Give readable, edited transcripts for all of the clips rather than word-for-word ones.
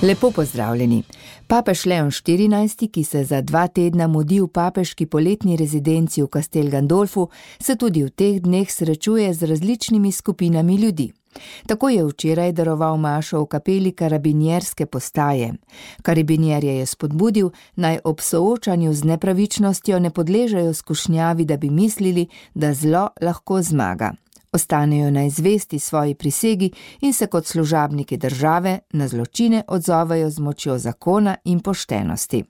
Lepo pozdravljeni. Papež Leon XIV, ki se za 2 tedna mudi v papeški poletni rezidenci v Castel Gandolfu, se tudi v teh dneh srečuje z različnimi skupinami ljudi. Tako je včeraj daroval mašo v kapeli karabinjerske postaje. Karabinjerje je spodbudil, naj ob soočanju z nepravičnostjo ne podležejo skušnjavi, da bi mislili, da zlo lahko zmaga. Ostanejo naj zvesti svoji prisegi in se kot služabniki države na zločine odzovejo z močjo zakona in poštenosti.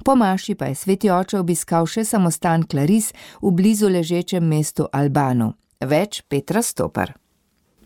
Po maši pa je sveti oče obiskal še samostan Claris v blizu ležečem mestu Albanu. Več Petra Stopar.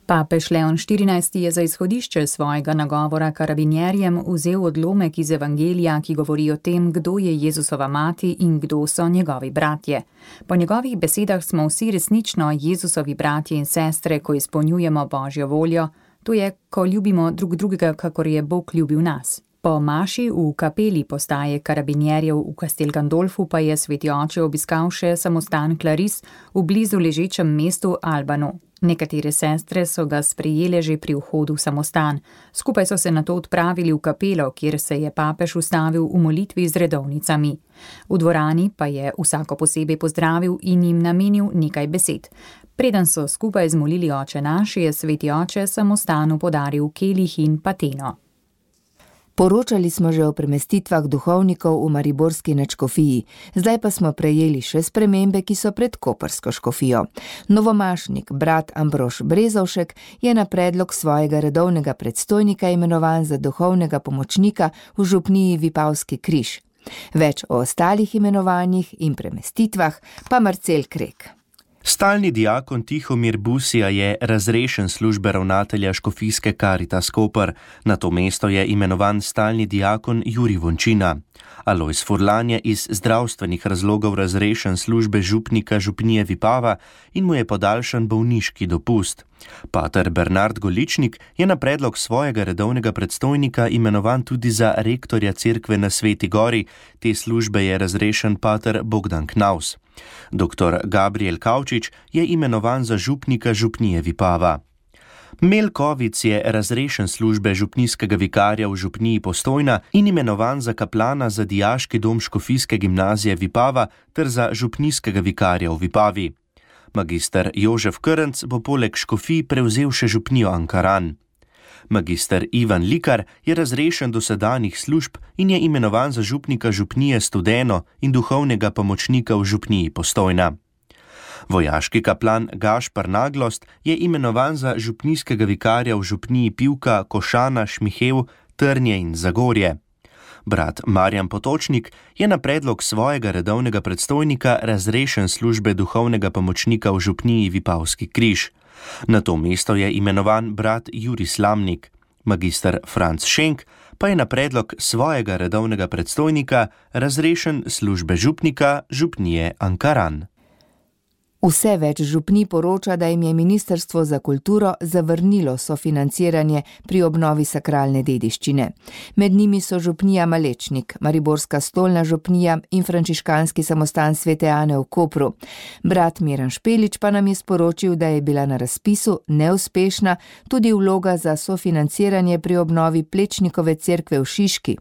Papež Leon XIV je za izhodišče svojega nagovora karabinjerjem vzel odlomek iz Evangelija, ki govori o tem, kdo je Jezusova mati in kdo so njegovi bratje. Po njegovih besedah smo vsi resnično Jezusovi bratje in sestre, ko izpolnjujemo Božjo voljo, to je, ko ljubimo drug drugega, kakor je Bog ljubil nas. Po maši v kapeli postaje karabinjerjev v Castel Gandolfu pa je sveti oče obiskal še samostan Claris v blizu ležečem mestu Albanu. Nekatere sestre so ga sprejele že pri vhodu v samostan. Skupaj so se nato odpravili v kapelo, kjer se je papež ustavil v molitvi z redovnicami. V dvorani pa je vsako posebej pozdravil in jim namenil nekaj besed. Preden so skupaj zmolili Oče naš, je sveti oče samostanu podaril kelih in pateno. Poročali smo že o premestitvah duhovnikov v mariborski nadškofiji, zdaj pa smo prejeli še spremembe, ki so pred koprsko škofijo. Novomašnik, brat Ambrož Brezovšek, je na predlog svojega redovnega predstojnika imenovan za duhovnega pomočnika v župniji Vipavski križ. Več o ostalih imenovanjih in premestitvah pa Marcel Krek. Stalni diakon Tihomir Busija je razrešen službe ravnatelja škofijske Caritas Koper. Na to mesto je imenovan stalni diakon Jurij Vončina. Alojz Furlan je iz zdravstvenih razlogov razrešen službe župnika župnije Vipava in mu je podaljšan bolniški dopust. Pater Bernard Goličnik je na predlog svojega redovnega predstojnika imenovan tudi za rektorja cerkve na Sveti Gori. Te službe je razrešen pater Bogdan Knaus. Dr. Gabriel Kavčič je imenovan za župnika župnije Vipava. Melkovic je razrešen službe župnijskega vikarja v župniji Postojna in imenovan za kaplana za dijaški dom škofijske gimnazije Vipava ter za župnijskega vikarja v Vipavi. Magister Jožef Krnc bo poleg škofij prevzel še župnijo Ankaran. Magister Ivan Likar je razrešen dosedanjih služb in je imenovan za župnika župnije Studeno in duhovnega pomočnika v župniji Postojna. Vojaški kaplan Gašpar Naglost je imenovan za župnijskega vikarja v župniji Pivka, Košana, Šmihev, Trnje in Zagorje. Brat Marjan Potočnik je na predlog svojega redovnega predstojnika razrešen službe duhovnega pomočnika v župniji Vipavski križ. Na to mesto je imenovan brat Jurij Slamnik. Magister Franc Šenk pa je na predlog svojega redovnega predstojnika razrešen službe župnika župnije Ankaran. Vse več župnij poroča, da jim je Ministrstvo za kulturo zavrnilo sofinanciranje pri obnovi sakralne dediščine. Med njimi so župnija Malečnik, Mariborska stolna župnija in frančiškanski samostan Svete Ane v Kopru. Brat Miran Špelič pa nam je sporočil, da je bila na razpisu neuspešna tudi vloga za sofinanciranje pri obnovi Plečnikove cerkve v Šiški.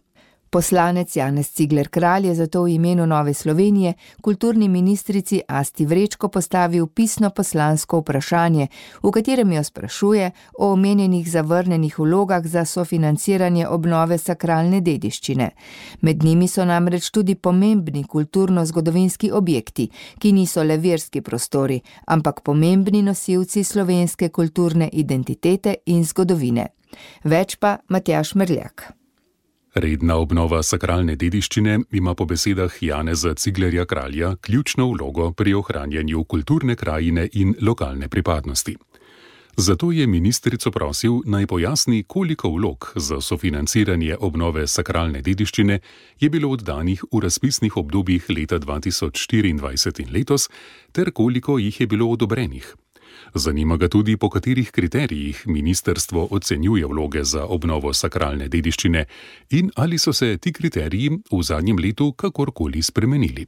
Poslanec Janez Cigler Kralj je zato v imenu Nove Slovenije kulturni ministrici Asti Vrečko postavil pisno poslansko vprašanje, v katerem jo sprašuje o omenjenih zavrnenih vlogah za sofinanciranje obnove sakralne dediščine. Med njimi so namreč tudi pomembni kulturno-zgodovinski objekti, ki niso le verski prostori, ampak pomembni nosilci slovenske kulturne identitete in zgodovine. Več pa Matjaž Merljak. Redna obnova sakralne dediščine ima po besedah Janeza Ciglerja Kralja ključno vlogo pri ohranjanju kulturne krajine in lokalne pripadnosti. Zato je ministrico prosil, naj pojasni, koliko vlog za sofinanciranje obnove sakralne dediščine je bilo oddanih v razpisnih obdobjih leta 2024 in letos, ter koliko jih je bilo odobrenih. Zanima ga tudi, po katerih kriterijih ministrstvo ocenjuje vloge za obnovo sakralne dediščine in ali so se ti kriteriji v zadnjem letu kakorkoli spremenili.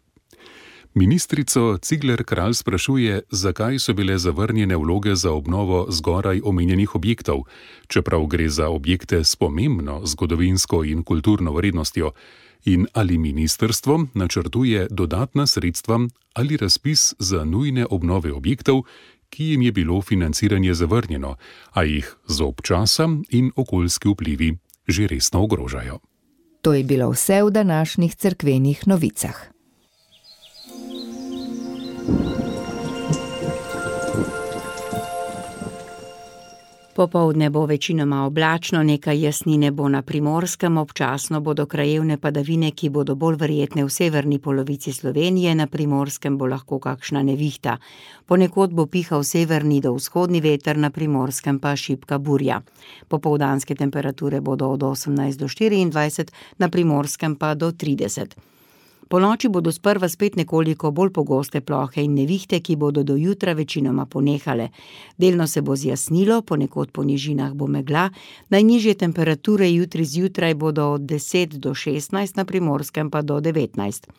Ministrico Cigler Kralj sprašuje, zakaj so bile zavrnjene vloge za obnovo zgoraj omenjenih objektov, čeprav gre za objekte s pomembno zgodovinsko in kulturno vrednostjo, in ali ministrstvo načrtuje dodatna sredstva ali razpis za nujne obnove objektov, ki jim je bilo financiranje zavrnjeno, a jih zob časa in okoljski vplivi že resno ogrožajo. To je bilo vse v današnjih cerkvenih novicah. Popoldne bo večinoma oblačno, nekaj jasnine bo na Primorskem, občasno bodo krajevne padavine, ki bodo bolj verjetne v severni polovici Slovenije, na Primorskem bo lahko kakšna nevihta. Ponekod bo pihal severni do vzhodni veter, na Primorskem pa šibka burja. Popoldanske temperature bodo od 18 do 24, na Primorskem pa do 30. Ponoči bodo sprva spet nekoliko bolj pogoste plohe in nevihte, ki bodo do jutra večinoma ponehale. Delno se bo zjasnilo, ponekod po nižinah bo megla, najnižje temperature jutri zjutraj bodo od 10 do 16, na Primorskem pa do 19.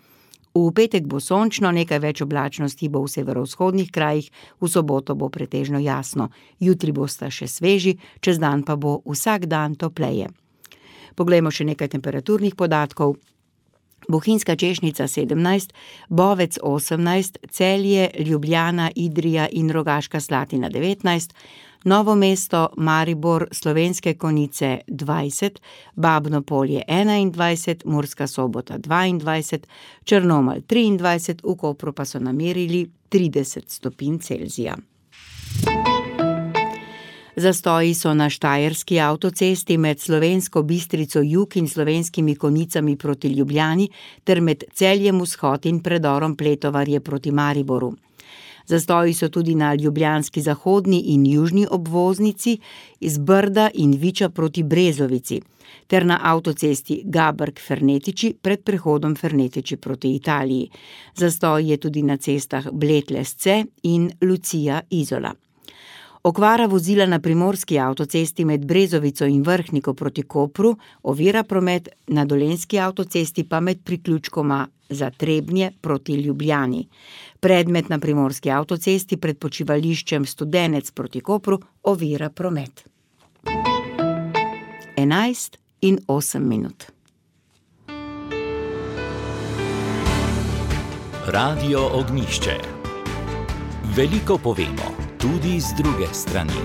V petek bo sončno, nekaj več oblačnosti bo v severovzhodnih krajih, v soboto bo pretežno jasno. Jutri bosta še sveži, čez dan pa bo vsak dan topleje. Poglejmo še nekaj temperaturnih podatkov. Bohinjska Češnica 17, Bovec 18, Celje, Ljubljana, Idrija in Rogaška Slatina 19, Novo mesto, Maribor, Slovenske Konjice 20, Babno Polje 21, Murska Sobota 22, Črnomelj 23, v Kopru pa so namerili 30 stopinj Celzija. Zastoji so na štajerski avtocesti med Slovensko Bistrico jug in Slovenskimi Konjicami proti Ljubljani ter med Celjem vzhod in predorom Pletovarje proti Mariboru. Zastoji so tudi na ljubljanski zahodni in južni obvoznici iz Brda in Viča proti Brezovici ter na avtocesti Gabrk-Fernetiči pred prehodom Fernetiči proti Italiji. Zastoj je tudi na cestah Bled-Lesce in Lucija-Izola. Okvara vozila na primorski avtocesti med Brezovico in Vrhniko proti Kopru ovira promet, na dolenjski avtocesti pa med priključkoma za Trebnje proti Ljubljani. Predmet na primorski avtocesti pred počivališčem Studenec proti Kopru ovira promet. 11:08. Radio Ognjišče. Veliko povemo, tudi z druge strani.